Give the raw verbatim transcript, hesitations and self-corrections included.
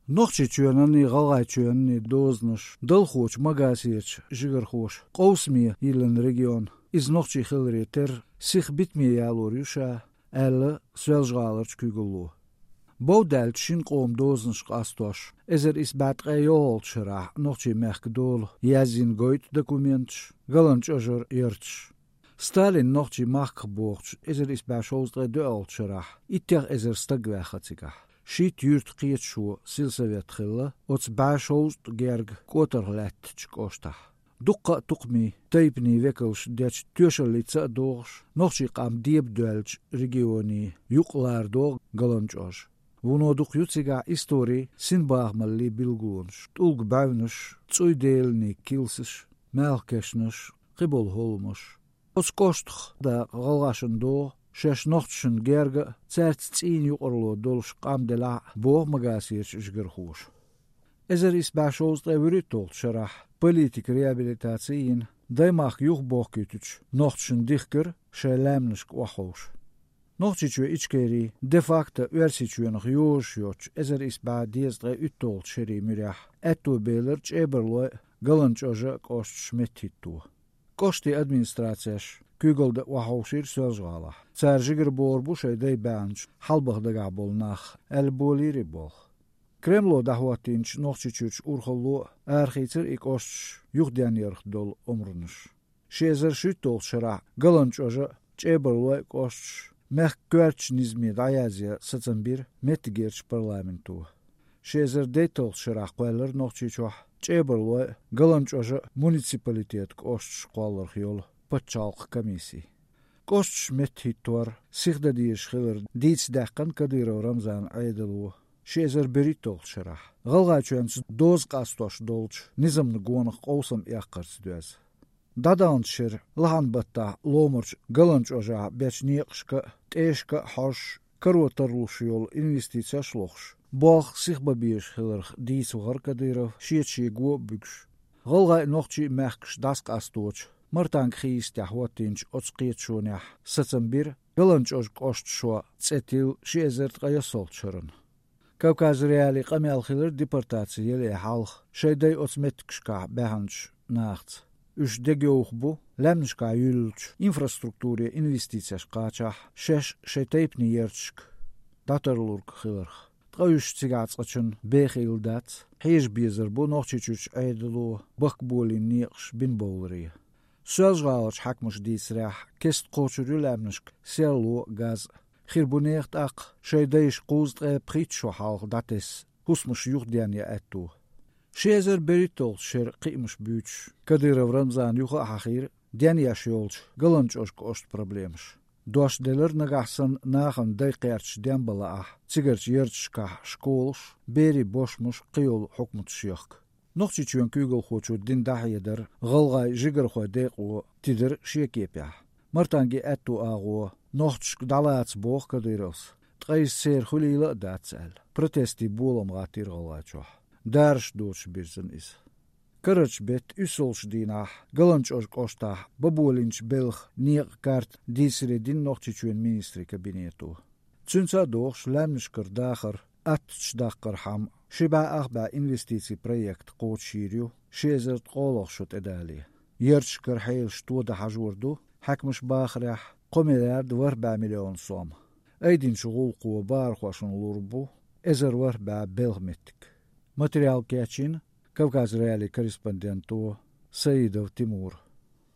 Нохчийчоьнанний, ГӀалгӀайчоьнанний дозанаш далхочу Магасерчу жигархоша къовсаме йиллина регион, иза нохчий хиларе терра, сиха битаме ялор ю ша, аьлла Соьлжа-ГӀаларчу куьйгалло. Бовдаьллачу шина къоман дозанаш къастош, эзар исс бӀе ткъе йолхалгӀачу шарахь нохчийн мехкан дола язйина гойту документаш, ГаланчӀожара ярташ. Сталин нохчийн махках бохучу эзар исс бӀе шовзткъе доьалгӀачу шарахь иттех эзар стаг ваьхна цигахь. Шийтта юьртан кхеташо сельсовет хилла оцу бӀе шовзткъа герга кӀотарх лаьттачу кӀоштахь. Дуккха а тукхамийн, тайпанийн векалш дечу тоьшаллица а догӀуш, нохчийн къам деба доьллачу регионийн юкъ лара догӀу ГаланчӀожа. Вуно дукха ю цигахь историн, синбахамаллин билгалонаш: тӀулга бӀаьвнаш, цӀуй деланийн килсаш, маьлхан кешнаш, кхиболу хӀолламаш. Оцу кӀоштах дакъа гӀалгӀашна догӀу, шаьш нохчашна герга а, цаьрца цӀийнан юкъарло долуш къам делахь а, боху Магасерчу жигархоша. Эзар исс бӀе шовзткъе вуьрхӀитталгӀачу шарахь политикан реабилитаци йина, даймахка юхабохкуьйтучу нохчашна дихкира шайн лаьмнашка охьаховша. Нохчийчоь Ичкери де-факто Оьрсийчоьнах йозуш йоцучу эзар исс бӀе дезткъе уьтталгӀачу шерийн муьрехь аьтто белира ЧӀебарлойн а, ГаланчӀожан а кӀошташ меттахӀитто. КӀоштийн администрацеш куьйгалла дан охьаховшийра Соьлжа-ГӀалахь. Цара жигара богӀур бу шайн дай баьхначу хьалабаха дагахь болу нах, аьлла, болийра и болх. Кремло дӀахӀоттийначу Нохчийчуьрчу урхалло а арахийцира и кӀошташ юхаденъярх долу омранаш. Ши эзар шуьйтталгӀачу шарахь ГаланчӀожан а, ЧӀебарлойн а кӀошташ мехкан коьртачу низаме дӀаязъян сацам бира меттигерчу парламенто. Ши эзар дейтталгӀачу шарахь кхоьллира Нохчийчохь ЧӀебарлойн а, ГаланчӀожан а муниципалитетан кӀошташ кхолларх йолу пачхьалкхан комисси. КӀошташ меттахӀиттор сиха дан дезаш хилар дийца даьккхина Кадыров Рамзанан Ӏедало ши эзар берхӀитталгӀачу шарахь, ГӀалгӀайчоьнца доза къастош долчу низамна гонах къовсам эккхарца доьзна. ДӀадаханчу шеран лахьан баттахь ломарчу ГаланчӀожахь бечу некъашка а, тӀешка а хьожуш, каро тарлуш йолу инвестицеш а лохуш, болх сиха бан безаш хиларх дийца вахара Кадыров, шеца шега го а буьгуш. ГӀалгӀайн а, нохчийн а мехкаш дӀасакъасточу Мартанга хи йистехь хӀоттийначу оцу кхеташонехь сацам бира ГаланчӀожан кӀошташо цӀе тилла ши эзар ткъе ялхалгӀачу шарна. Кавказ.Реалиин къамел хилира депортаци яле хьалха шайн дай оцу меттигашкахь баьхначу нахаца. Уьш дегайовха бу, лаьмнашкахь юьллучу инфраструктуре инвестицеш кхачахь, шаьш шайн тайпанийн ярташка дӀатарлург хиларх. Ткъа уьш цигахь цкъачунна бехийла дац, хьежа безар бу Нохчийчуьрчу Ӏедало бахкаболийна некъаш бина бовларе. Соьлжа-ГӀаларчу хьаькамаша дийцарехь, кеста кхочур ю лаьмнашка серло а, газ а. Хир бу нехан тӀаккха шайн дайша кхузткъе пхийтта шо хьалха дӀатесна хӀусамаш юхаденъян аьтто. Ши эзар берхӀитталгӀачу шеран кхиамаш буьйцуш, Кадыров Рамзана юха а хьахийра денъеш йолчу ГаланчӀожан кӀоштан проблемаш. Дош делира нагахь санна нахана дай кхерчаш денбан лаахь, цигарчу ярташкахь школаш, берийн бошмаш, кхийолу хьукматаш яхка. Нохчийчоьнан куьйгалхочо дина дӀахьедар гӀалгӀайн жигархойн декъо тидира шен кепехь. Мартангийн аьтту агӀо нохчашка дӀалаца боху Кадыровс, ткъа иза церан хуьлийла а дац аьлла, протестийн болам гӀаттийра ГӀалгӀайчохь. Дараш доцуш бирзина иза. Карарчу беттан уьссалгӀачу дийнахь ГаланчӀожан кӀоштахь бан болийначу белхан некъан карта дийцаре дина Нохчийчоьнан министрийн кабинето. Цуьнца а догӀуш, лаьмнашкара дахар аттачу даккхархьама, ши бӀе ах бӀе инвестицийн проект кхочушйийр ю ши эзар ткъолгӀа шо тӀедале. Ярташкара хьелаш тодан хьажор ду, хьаькамаша бахарехь, кхо миллиард ворхӀ бӀе миллион сом. Айдинчу гӀуллакхо бахархошна лур бу эзар ворхӀ бӀе белхан меттиг. Материал кечйина Кавказ.Реалиин корреспонденто Саидов Тимура.